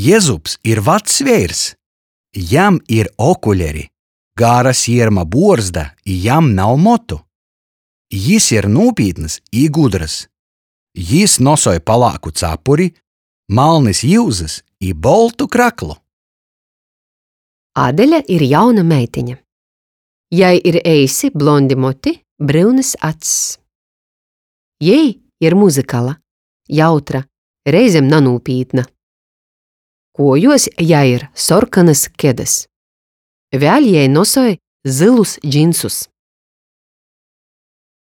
Jezups ir vacs veirs. Jam ir okuleri, gara sierma buorzda i jam nav motu. Jis ir nūpītns i gudrys. Jis nosoj palāku capuri, malnys iuzys i boltu kraklu. Adeļa ir jauna meitiņa. Jai ir eisi blondi moti, bryunys acs. Jei ir muzykala, jautra, reizem nanūpītna. Kuojuos jai ir sorkonys kedys. Vēļ jei nosoj zylus džinsus.